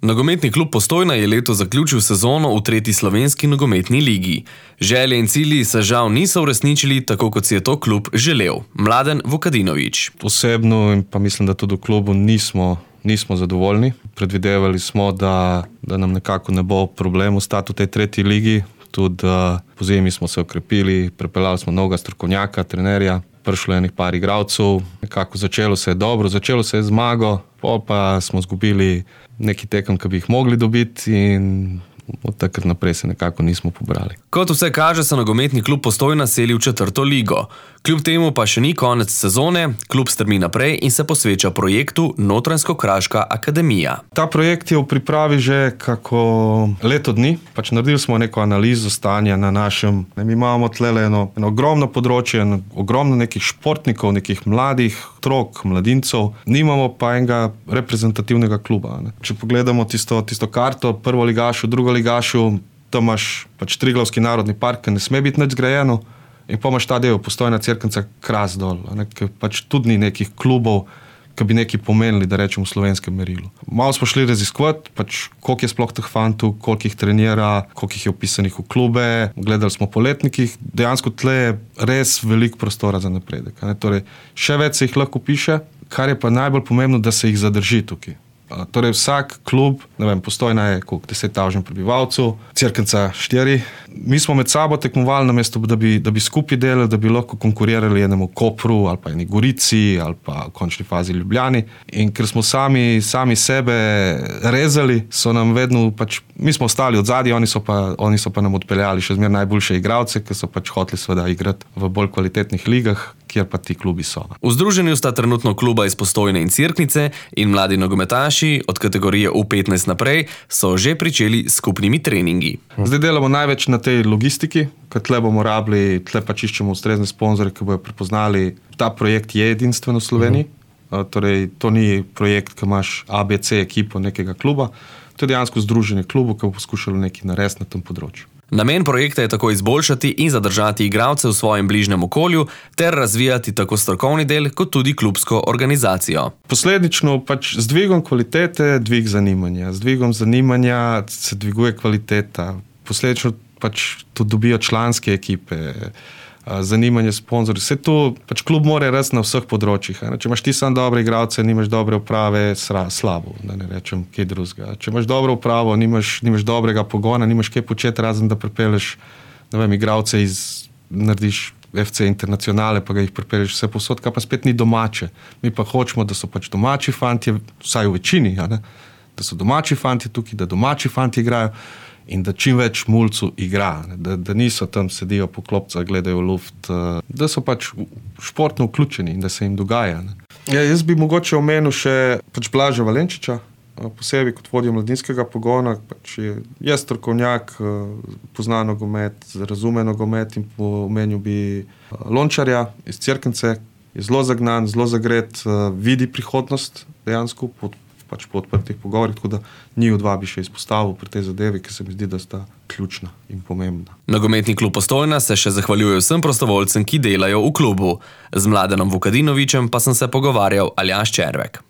Nogometni klub Postojna je letos zaključil sezono v 3. slovenski nogometni ligi. Želje in cilji se žal niso uresničili tako, kot si je to klub želel. Mladen Vukadinović. Osebno in pa mislim, da tudi v klubu nismo zadovoljni. Predvidevali smo, da nam nekako ne bo problem ostati v tej 3. ligi. Tudi po zimi smo se okrepili, prepeljali smo novega strokovnjaka, trenerja, prišlo je enih par igralcev. Nekako začelo se je dobro, začelo se je zmago, pol pa smo izgubili neki tekem, ki bi jih mogli dobiti in od takrat naprej se nekako nismo pobrali. Kot vse kaže, se nogometni klub Postojna seli v 4. ligo. Kljub temu pa še ni konec sezone, klub strmi naprej in se posveča projektu Notranjsko-Kraška akademija. Ta projekt je v pripravi že kako leto dni. Naredili smo neko analizo stanja na našem. Mi imamo tlele eno ogromno področje, ogromno nekih športnikov, nekih mladih otrok, mladincev. Nimamo pa enega reprezentativnega kluba. Če pogledamo tisto karto, prvoligašu, drugoligašu, tam imaš Triglavski narodni park, ki ne sme biti nič zgrajeno. In pa imaš ta del, Postojna, Cerknica, Kras dol, ker tudi ni nekih klubov, ki bi nekaj pomenili, da rečemo v slovenskem merilu. Malo smo šli raziskovati, koliko je sploh teh fantov, koliko jih trenira, koliko jih je vpisanih v klube, gledali smo po letnikih, dejansko tle je res veliko prostora za napredek. Torej, še več se jih lahko piše, kar je pa najbolj pomembno, da se jih zadrži tukaj. Torej vsak klub, Postojna je 10.000 prebivalcev, Cerknica 4. Mi smo med sabo tekmovali namesto, da bi skupaj delali, da bi lahko konkurirali enemu Kopru ali pa eni Gorici ali pa v končni fazi Ljubljani. In ker smo sami sebe rezali, so nam vedno, mi smo ostali od zadaj, oni so pa nam odpeljali še zmeraj najboljše igralce, ki so hoteli seveda igrati v bolj kvalitetnih ligah, kjer pa ti klubi so. V združenju sta trenutno kluba iz Postojne in Cerknice in mladi nogometaši od kategorije U15 naprej so že pričeli s skupnimi treningi. Zdaj delamo največ na tej logistiki, ker tle bomo rabili, tle iščemo ustrezne sponzorje, ki bojo prepoznali, ta projekt je edinstven v Sloveniji. Torej, to ni projekt, ki imaš ABC ekipo nekega kluba, to je dejansko združenje klubov, ki bo poskušalo nekaj narediti na tem področju. Namen projekta je tako izboljšati in zadržati igralce v svojem bližnjem okolju ter razvijati tako strokovni del kot tudi klubsko organizacijo. Posledično z dvigom kvalitete dvig zanimanja. Z dvigom zanimanja se dviguje kvaliteta. Posledično tudi dobijo članske ekipe, zanimanje sponzorjev. Vse to klub mora rasti na vseh področjih. Če imaš ti sam dobre igralce, nimaš dobre uprave, slabo, da ne rečem kaj drugega. Če imaš dobro upravo, nimaš dobrega pogona, nimaš kaj početi, razen da pripelješ igralce narediš FC Internacionale, pa ga jih pripelješ vse posod, kar pa spet ni domače. Mi pa hočemo, da so domači fantje, vsaj v večini, da so domači fantje tukaj, da domači fantje igrajo in da čim več mulcu igra, da niso tam sedijo po klopcah, gledajo v luft, da so športno vključeni in da se jim dogaja. Jaz bi mogoče omenil še Blaža Valenčiča, posebej kot vodjo mladinskega pogona, je strokovnjak, pozna nogomet, razume nogomet in omenil bi Lončarja iz Cerknice, je zelo zagnan, zelo zagret, vidi prihodnost dejansko po odprtih pogovorih, tako da njiju dva bi še izpostavil pri tej zadevi, ki se mi zdi, da sta ključna in pomembna. Nogometni klub Postojna se še zahvaljuje vsem prostovoljcem, ki delajo v klubu. Z Mladenom Vukadinovićem pa sem se pogovarjal Aljaž Červek.